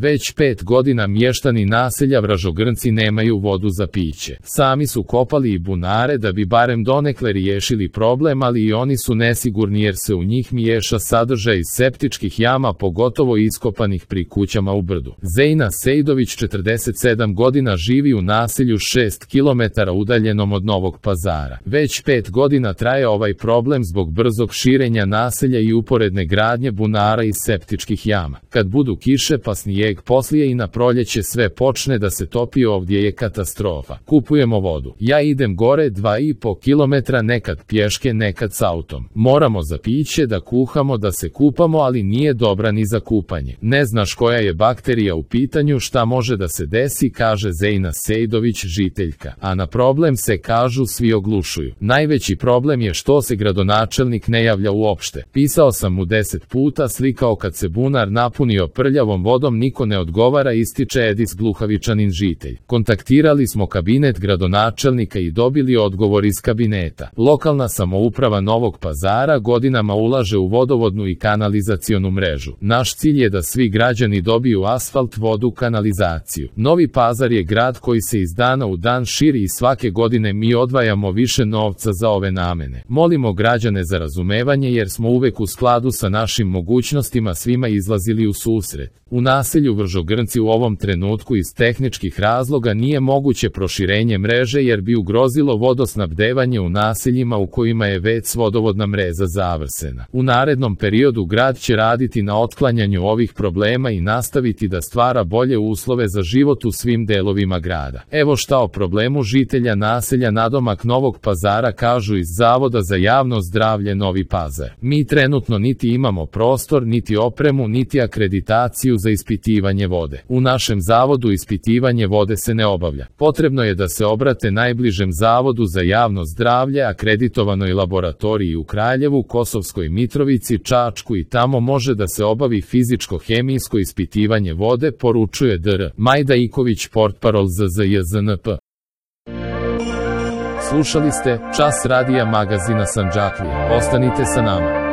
Već 5 godina mještani naselja Vražogrnci nemaju vodu za piće. Sami su kopali i bunare da bi barem donekle riješili problem, ali i oni su nesigurni jer se u njih miješa sadržaj iz septičkih jama, pogotovo iskopanih pri kućama u brdu. Zejna Sejdović, 47 godina, živi u naselju 6 km udaljenom od Novog Pazara. Već 5 godina traje ovaj problem zbog brzog širenja naselja i uporedne gradnje bunara iz septičkih jama. Kad budu kiše pa snijeg, poslije i na proljeće sve počne da se topi, ovdje je katastrofa. Kupujemo vodu. Ja idem gore 2,5 km, nekad pješke, nekad s autom. Moramo za piće, da kuhamo, da se kupamo, ali nije dobra ni za kupanje. Ne znaš koja je bakterija u pitanju, šta može da se desi, kaže Zejna Sejdović, žiteljka. A na problem se, kažu, svi oglušuju. Najveći problem je što se gradonačelnik ne javlja uopšte. Pisao sam mu 10 puta, slikao kad se bunar napunio prljavom vodom, niko ne odgovara, ističe Edis Gluhavičanin, žitelj. Kontaktirali smo kabinet gradonačelnika i dobili odgovor iz kabineta. Lokalna samouprava Novog Pazara godinama ulaže u vodovodnu i kanalizacionu mrežu. Naš cilj je da svi građani dobiju asfalt, vodu, kanalizaciju. Novi Pazar je grad koji se iz dana u dan širi i svake godine mi odvajamo više novca za ove namene. Molimo građane za razumevanje jer smo uvek u skladu sa našim mogućnostima svima izlazili u susret. U naselju Vražogrnci u ovom trenutku iz tehničkih razloga nije moguće proširenje mreže jer bi ugrozilo vodosnabdevanje u naseljima u kojima je već vodovodna mreža završena. U narednom periodu grad će raditi na otklanjanju ovih problema i nastaviti da stvara bolje uslove za život u svim delovima grada. Evo šta o problemu žitelja naselja nadomak Novog Pazara kažu iz Zavoda za javno zdravlje Novi Pazar. Mi trenutno niti imamo prostor, niti opremu, niti akreditaciju za ispitivanje vode. U našem zavodu ispitivanje vode se ne obavlja. Potrebno je da se obrate najbližem Zavodu za javno zdravlje, akreditovanoj laboratoriji u Kraljevu, Kosovskoj Mitrovici, Čačku i tamo može da se obavi fizičko-hemijsko ispitivanje vode, poručuje dr. Majda Iković, portparol ZZJZNP. Slušali ste Čas radija magazina Sandžaklije. Ostanite sa nama.